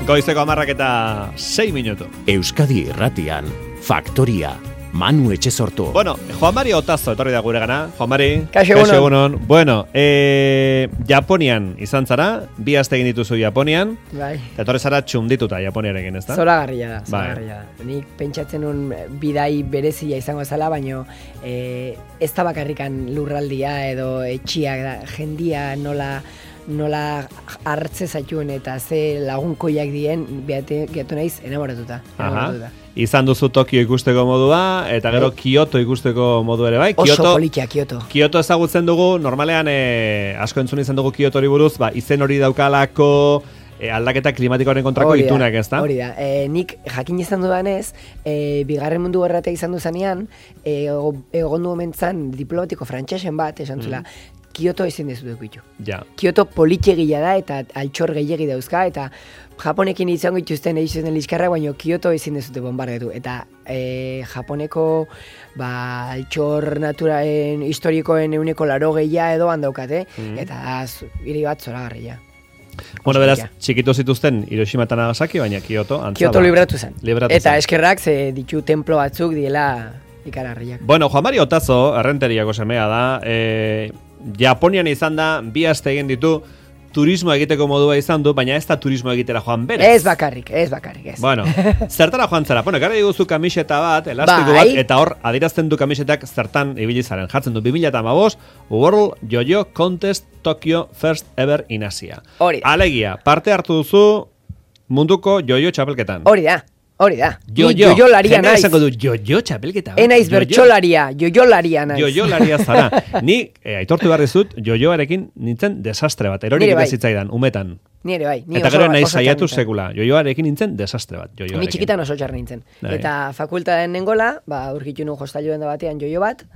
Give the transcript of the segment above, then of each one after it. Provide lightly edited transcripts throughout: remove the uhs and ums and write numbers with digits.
Goizeko 10:06. Euskadi Irratian, Faktoria, Manu Etxesortu. Bueno, Juan Mari Otazo etorri da gure gana. Juan Mari, kaixo egunon. Bueno, Japonian izan zara, 2 aste egin dituzu Japonian. Bai. Eta etorri zara txundituta Japoniarekin, ezta? Zoragarria da. Nik pentsatzen nun bidai berezia izango zela, baino ez da bakarrikan lurraldia edo etxiak da, jendia nola hartze zaituen eta ze lagunkoiak dien, gehiatu naiz enamoratuta. Izan duzu Tokio ikusteko modua, eta gero Kyoto ikusteko modu ere bai. Oso politia, Kyoto. Kyoto ezagutzen dugu, normalean asko entzun izan dugu Kyotori buruz, izen hori daukalako, aldaketa klimatikoaren kontrako itunak, ez da? Hori da. Nik jakin izan dudanez, bigarren mundu gerratea izan duzanean, egon du omentzan diplomatiko frantsesen bat, esan zula, Kyoto ezin dezu dukitu. Ja. Kyoto politxegila da eta altxor gehiagi dauzka, eta Japonekin izango ituzten egiten liskarra, baina Kyoto ezin dezute bombardetu. Eta Japoneko altxor naturalen historikoen 180 edo handaukate, eta hiri bat zoragarria. Bueno, beraz, txikitu zituzten Hiroshima eta Nagasaki, baina Kyoto antza. Kyoto libratu zen. Eta eskerrak ze ditu templo batzuk diela ikararriak. Bueno, Juan Mari Otazo, errenteriako semea da, Japonian izan da, 2 aste egin ditu, turismo egiteko modua izan du, baina ez da turismo egitera joan berez. Ez bakarrik. Bueno, zertara joan zara? Bueno, gara diguzu kamiseta bat, elastiko bat, eta hor, adirazten du kamisetak zertan ibili zaren. Jartzen du 2015, World Yo-Yo Contest Tokyo First Ever in Asia. Alegia, parte hartu duzu munduko yo-yo txapelketan. Hori da. Yo-yo laria naiz. Esango du yo-yo txapelketa. Enaiz bertxolaria, yo-yo laria naiz. Yo-yo laria zara. Ni, aitortu behar dizut, yo-yoarekin nintzen desastre bat. Erorik eta zitzaidan, umetan. Nire bai. Eta gero nahi saiatu sekula. Yo-yoarekin nintzen desastre bat. Ni txikitan oso txar nintzen. Eta fakultaten nengola, urkitu nun hostailu den da batean yo-yo bat.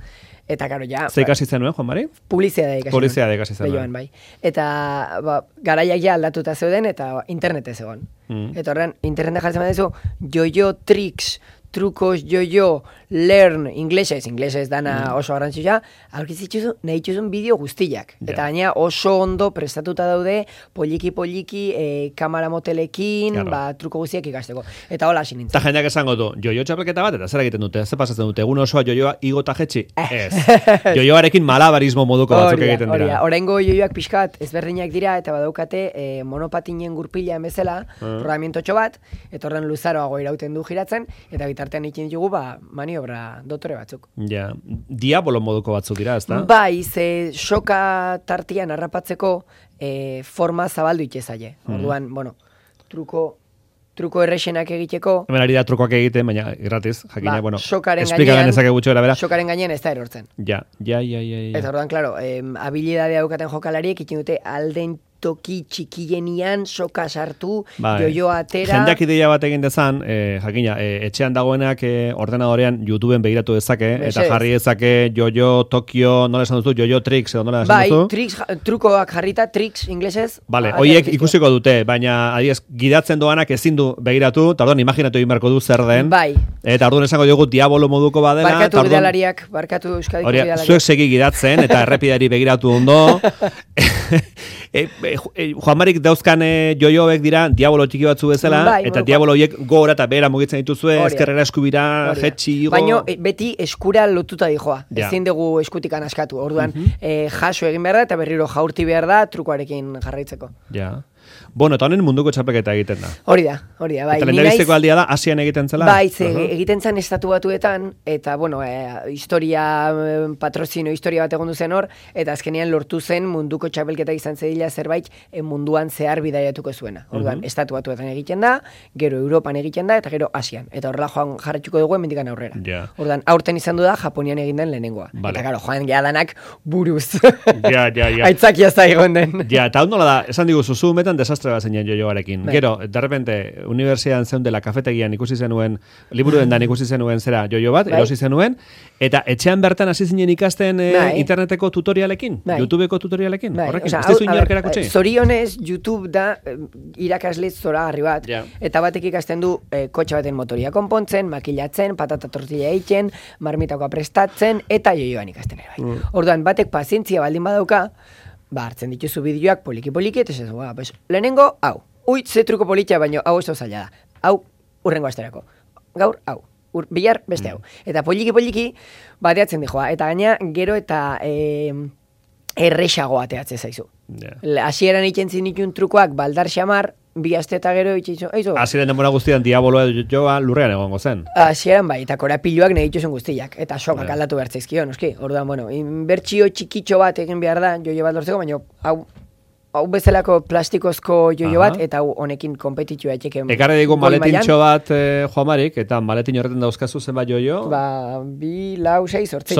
Eta karo, ja... Ze ikasi zenuen, Juan Mari? Publizidade ikasi zenuen. Behioan, bai. Eta garaiak ja aldatuta zeuden eta internete zegoen. Eta horren, internete jartzen badezu, yo-yo tricks, trukos, yo-yo, learn, inglesez dana oso garrantzia, aurkitzitzu nahi txuzun bideo guztiak. Eta gaina oso ondo prestatuta daude, poliki, kamera motelekin, truko guztiak ikasteko. Eta hola hasi nintzen. Eta jendeak esango du, yo-yo txapelketa bat, eta zer egiten dute, zer pasatzen dute, egun osoa yo-yoa igota jetxi? Ez. Yo-yoarekin malabarismo moduko batzuk egiten dira. Oraingo yo-yoak pixkat ezberdinak dira, eta badaukate monopatinen gurpila bezala, rodamientotxo bat, eta horren luzaroago irauten du giratzen, eta bitartean ikin ditugu, maniobra dotore batzuk. Ja, diabolo moduko batzuk dira, ezta? Bai, ze soka tartian harrapatzeko forma zabaldu itxezaile. Orduan, truko errexenak egiteko... Hemen ari da trukoak egiten, baina gratis, jakina, sokaren gainean ez da erortzen. Ja. Eta orduan, klaro, habilidadea daukaten jokalariek ikin dute alden toki txikienian soka sartu, yo-yo atera... Jendeak ideia bat egin dezan, jakina, etxean dagoenak ordenadorean YouTubeen begiratu dezake, eta jarri dezake yo-yo Tokio, nola esan duzu, yo-yo tricks, edo nola esan duzu? Bai, trukoak jarrita, tricks inglesez. Vale, hoiek ikusiko dute, baina adiez, gidatzen doanak ezin du begiratu, eta orduan imaginatu egin beharko du zer den. Bai. Eta orduan esango diogu diabolo moduko badela. Barkatu Euskadiko bidalariak. Zuek segi gidatzen, eta errepidari begiratu ondo. Juan Marik dauzkan joioek dira diabolo txiki batzu bezala, eta diabolo horiek gora eta behera mugitzen dituzue, ezkerrera eskubira, jetxi, igo... Baina beti eskura lotuta dijoa, ezin dugu eskutikan askatu, orduan jaso egin behar da, eta berriro jaurti behar da, trukoarekin jarraitzeko. Ja. Bueno, eta honen munduko txapelketa egiten da. Hori da, bai. Eta lehendabizteko aldia da, Asian egiten zela? Bai, egiten zen estatu batuetan, eta, patrozino historia bat egon duzen hor, eta azkenean lortu zen munduko txapelketa izan zedila zerbait munduan zehar bidaiatuko zuena. Orduan, estatu batuetan egiten da, gero Europan egiten da, eta gero Asian. Eta horrela joan jarretxuko dugu emendikan aurrera. Orduan, aurten izan du da, Japonian egin den lehenengoa. Eta gero, joan geadanak buruz. Aitzakia zaigon den. Eta hau nola da, esan diguzu, metan desastre bat zeinen joioarekin. Gero, de repente, universidadean zeun dela kafetegian ikusi zenuen, liburu dendan ikusi zenuen zera joio bat, erosi zenuen, eta etxean bertan hasi zinen ikasten interneteko tutorialekin, YouTubeko tutorialekin. Horrekin, ez dezu inork erakutsi? Zorionez, YouTube da irakasle zoragarri bat, eta batek ikasten du kotxe baten motoria konpontzen, makilatzen, patata tortilla egiten, marmitakoa prestatzen, eta joioan ikasten ere bai. Orduan, batek pazientzia baldin badauka, hartzen dituzu bideoak poliki-poliki, eta lehenengo, hau, ze truko politia, baino hau oso zaila da. Hau, urrengo asterako. Gaur, hau. Bihar, beste hau. Eta poliki, bateatzen dijoa. Eta gaina, gero eta erresago ateatze zaizu. Hasieran ikentzin ikun trukoak, baldar xamar, bi aste eta gero itxitzu. Hasieran denbora guztian diaboloa joa lurrean egongo zen. Hasieran bai, eta korapiluak nahi dituzun guztiak. Eta sokak aldatu bertzaizkio, noski. Orduan, bueno, inbertsio txikitxo bat egin behar da, joio bat lortzeko, baina hau bezalako plastikozko joio bat, eta honekin kompetitua etxeken. Ekarri digu maletintxo bat, Joamarik, eta maletin horretan dauzkazu zenbat joio? 2, 4, 6, 8.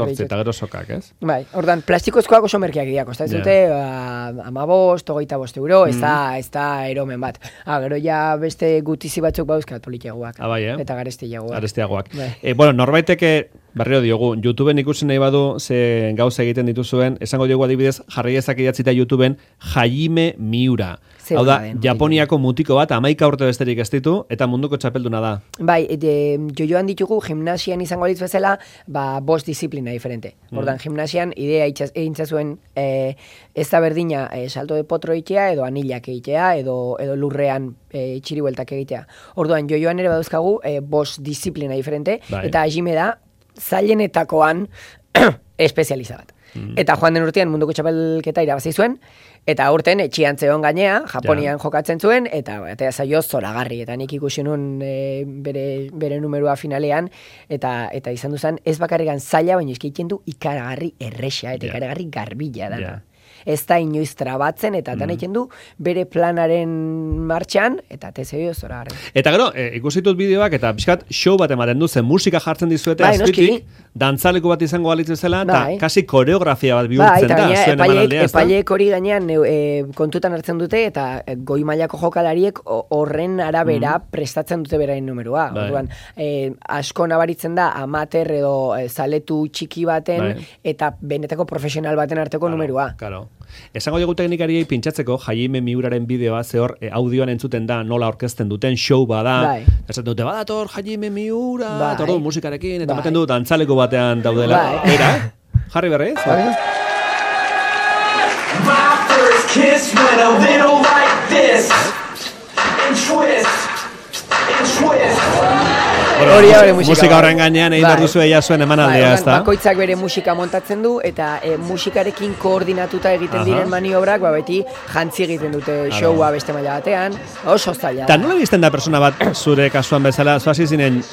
8, eta gero sokak, ez? Bai, ordan plastikozkoak oso merkeak dira, kosta ez dute, 15, 25 euro, ez da eromen bat. Gero ja beste gutizi batzuk bauzkat politiagoak. Eta garestiagoak. Bueno, norbaiteke, barrio diogu, YouTubeen ikusi nahi badu, ze gauza egiten dituzuen, esango diogu adibidez, jarri ezak idatzita YouTubeen, Hajime Miura. Hau da, Japoniako mutiko bat, 11 urte besterik ez ditu, eta munduko txapelduna da. Bai, jojoan ditugu, gimnasian izango dituz bezala, 5 disiplina diferente. Ordan, gimnasian, idea eintzazuen ez da berdina salto de potro egitea, edo anilak egitea, edo lurrean txiribueltak egitea. Orduan, jojoan ere baduzkagu 5 disiplina diferente, eta Hajime da, zailenetakoan espezializa bat. Eta joan den urtean munduko txapelketa irabazi zuen, eta urten etxian zeon gainea, Japonian jokatzen zuen, eta zaio zoragarri, eta nik ikusi nun bere numerua finalean, eta izan duzan ez bakarrikan zaila, baina eskeitzen du ikaragarri erresa, eta ikaragarri garbila da. Ez da inoiz trabatzen, eta dan egiten du bere planaren martxan, eta tezeo zoragarri. Eta gero, ikusitut bideoak, eta pixkat show bat ematen du, zen musika jartzen dizuete azpitik, dantzaleko bat izango balitzen zela, eta kasi koreografia bat bihurtzen da, zuen emanaldea, ez da? Epaileek hori gainean kontutan hartzen dute, eta goi mailako jokalariek horren arabera prestatzen dute berain numerua. Orduan, asko nabaritzen da, amater edo zaletu txiki baten, eta benetako profesional baten arteko numerua. Esango dugu teknikariei pintxatzeko Hajime Miuraren bideoa, ze hor audioan entzuten da nola orkesten duten show bada, esaten dute badator Hajime Miura, tordu musikarekin, eta ematen du dantzaleko batean daudela. Era, jarri berriz? My first kiss went a little like this, and twist, and twist. Musika horren gainean egin behar duzu eia zuen emanaldea, ez da? Bakoitzak bere musika montatzen du, eta musikarekin koordinatuta egiten diren maniobrak, beti jantzi egiten dute showa beste maila batean, oso zaila. Eta nola bizten da persona bat zure kasuan bezala, zoazi zinen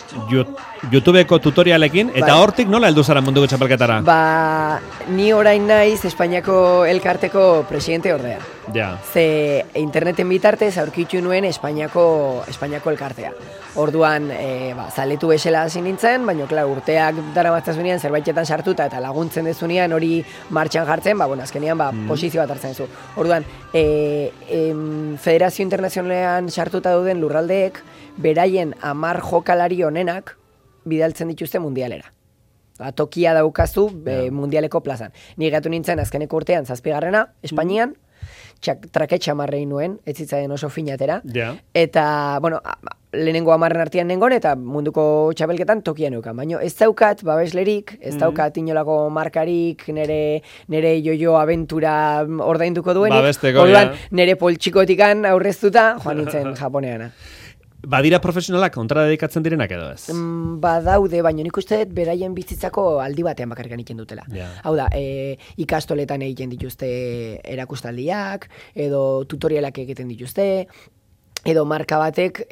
YouTubeko tutorialekin, eta hortik nola heldu zara munduko txapelketara? Ni orain naiz Espainiako elkarteko presidente ordea. Ze interneten bitartez aurkitu nuen Espainiako elkartea. Orduan, zaletu esela hasi nintzen, baina urteak daramatzazunean zerbaitetan sartuta eta laguntzen dezunean hori martxan jartzen, azkenean posizio bat hartzen zu. Orduan, Federazio Internazionalean sartuta dauden lurraldeek, beraien 10 jokalari honenak bidaltzen dituzte mundialera. Tokia daukazu mundialeko plazan. Ni gatu nintzen azkeneko urtean 7. Espainian, traketxa marrein nuen, ez zitzaien oso finatera. Eta, lehenengo 10 artean nengon, eta munduko txapelketan tokia neukan. Baina ez daukat babeslerik, ez daukat inolako markarik, nere jojo abentura ordainduko duen. Orduan, nere poltsikotikan aurreztuta, joan nintzen Japoneana. Badira profesionalak kontra dedikatzen direnak edo ez? Badaude, baina nik uste beraien bizitzako aldi batean bakarrik egiten dutela. Hau da, ikastoletan egiten dituzte erakustaldiak, edo tutorialak egiten dituzte, edo marka batek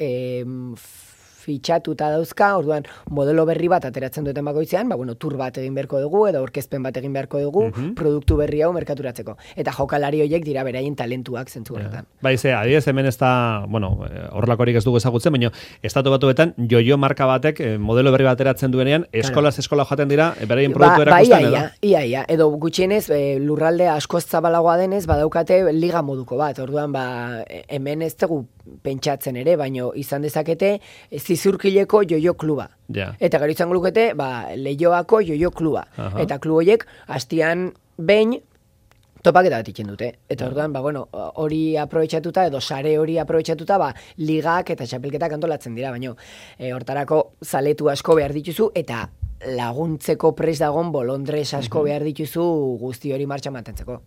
fitxatuta dauzka, orduan modelo berri bat ateratzen duten bakoitzean, tur bat egin beharko dugu, edo orkezpen bat egin beharko dugu, produktu berri hau merkaturatzeko. Eta jokalari horiek dira beraien talentuak zentzu horretan. Adibidez hemen ez da, horrelakorik ez dugu ezagutzen, baina Estatu Batuetan jojo marka batek modelo berri bat ateratzen duenean, eskolaz eskola joaten dira, beraien produktu erakusten edo? Ia, edo gutxienez, lurralde askoz zabalagoa denez, badaukate liga moduko bat, orduan hemen ez dugu pentsatzen ere, baino izan dezakete zizurkileko jojo kluba. Eta gero izango lukete, Leioako jojo kluba. Eta klub horiek hastian behin topaketa bat itzen dute. Eta orduan, hori aprobetxatuta, edo sare hori aprobetxatuta, ligak eta txapelketak antolatzen dira, baino hortarako zaletu asko behar dituzu, eta laguntzeko pres dagon bolondrez asko behar dituzu guzti hori martxan mantentzeko.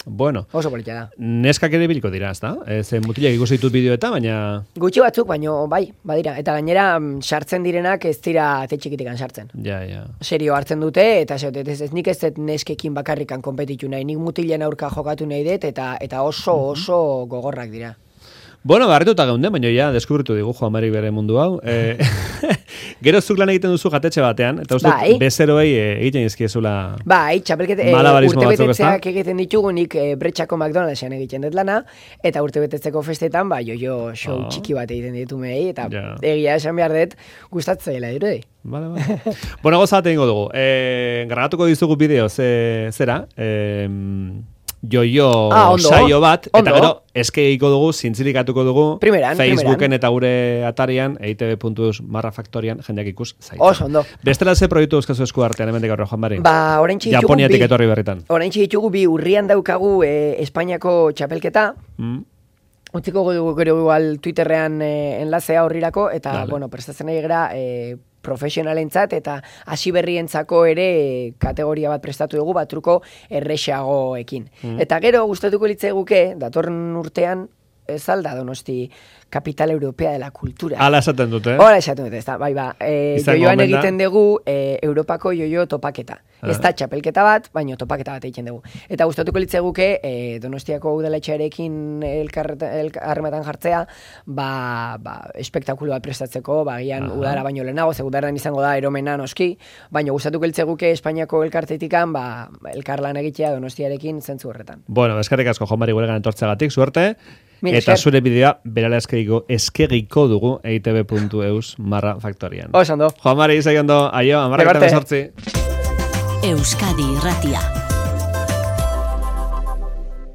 Bueno. Oso politia da. Neskak ere biliko dira, ezta? Mutilak ikusi ditut bideoetan, baina... Gutxi batzuk, baino bai, badira. Eta gainera, sartzen direnak ez dira txikitikan sartzen. Ja. Serio hartzen dute, eta ez nik ez dut neskekin bakarrikan konpetitu nahi. Nik mutilen aurka jokatu nahi dut, eta oso gogorrak dira. Bueno, barrituta geunde, baina ja, deskubritu digu Juan Mari bere mundu hau. Gero zuk lan egiten duzu jatetxe batean, eta uste bezeroei egiten izkiezula urte betetzeak egiten ditugunik Bretxako McDonald'sen egiten dut lana, eta urte betetzeko festetan, jo show txiki bat egiten ditu mei, eta egia esan behar dut gustatzeela dirudi. Vale. Bueno, gozat egingo dugu. Grabatuko dizugu bideo, zera? Joio saio bat, eta gero eskeiko dugu, zintzilikatuko dugu Facebooken eta gure atarian, eitb.eus/faktorian, jendeak ikus zaitza. Oso, ondo. Bestela ze proiektu euskazu esku artean, hemen dekarro, Juan Mari? Japoniatik etorri berritan. Oraintxe ditugu bi urrian daukagu Espainiako txapelketa, utziko dugu gero igual Twitterrean enlazea horrirako, eta, prestatzen nahi gara profesionalentzat eta hasi berrientzako ere kategoria bat prestatu dugu batruko erresagoekin. Eta gero gustatuko litzaiguke datorren urtean ez alda Donosti Capital Europea de la Cultura. Hala esaten dute, Hala esaten dute, bai. Joioan egiten dugu Europako joio topaketa. Ez da txapelketa bat, baina topaketa bat egiten dugu. Eta gustatuko litzaiguke Donostiako udaletxearekin harrematan jartzea, espektakulo bat prestatzeko, gian udara baino lehenago, ze udaran izango da eromena noski, baina gustatuko litzaiguke Espainiako elkartetikan, elkarlan egitea Donostiarekin zentzu horretan. Bueno, eskerrik asko Juan Mari guregan etortzegatik, suerte. Eta zure bideoa berala eskegiko dugu eitb.eus/faktorian. Oso ondo. Juan Mari, ondo, aio, 10:18. Euskadi Irratia.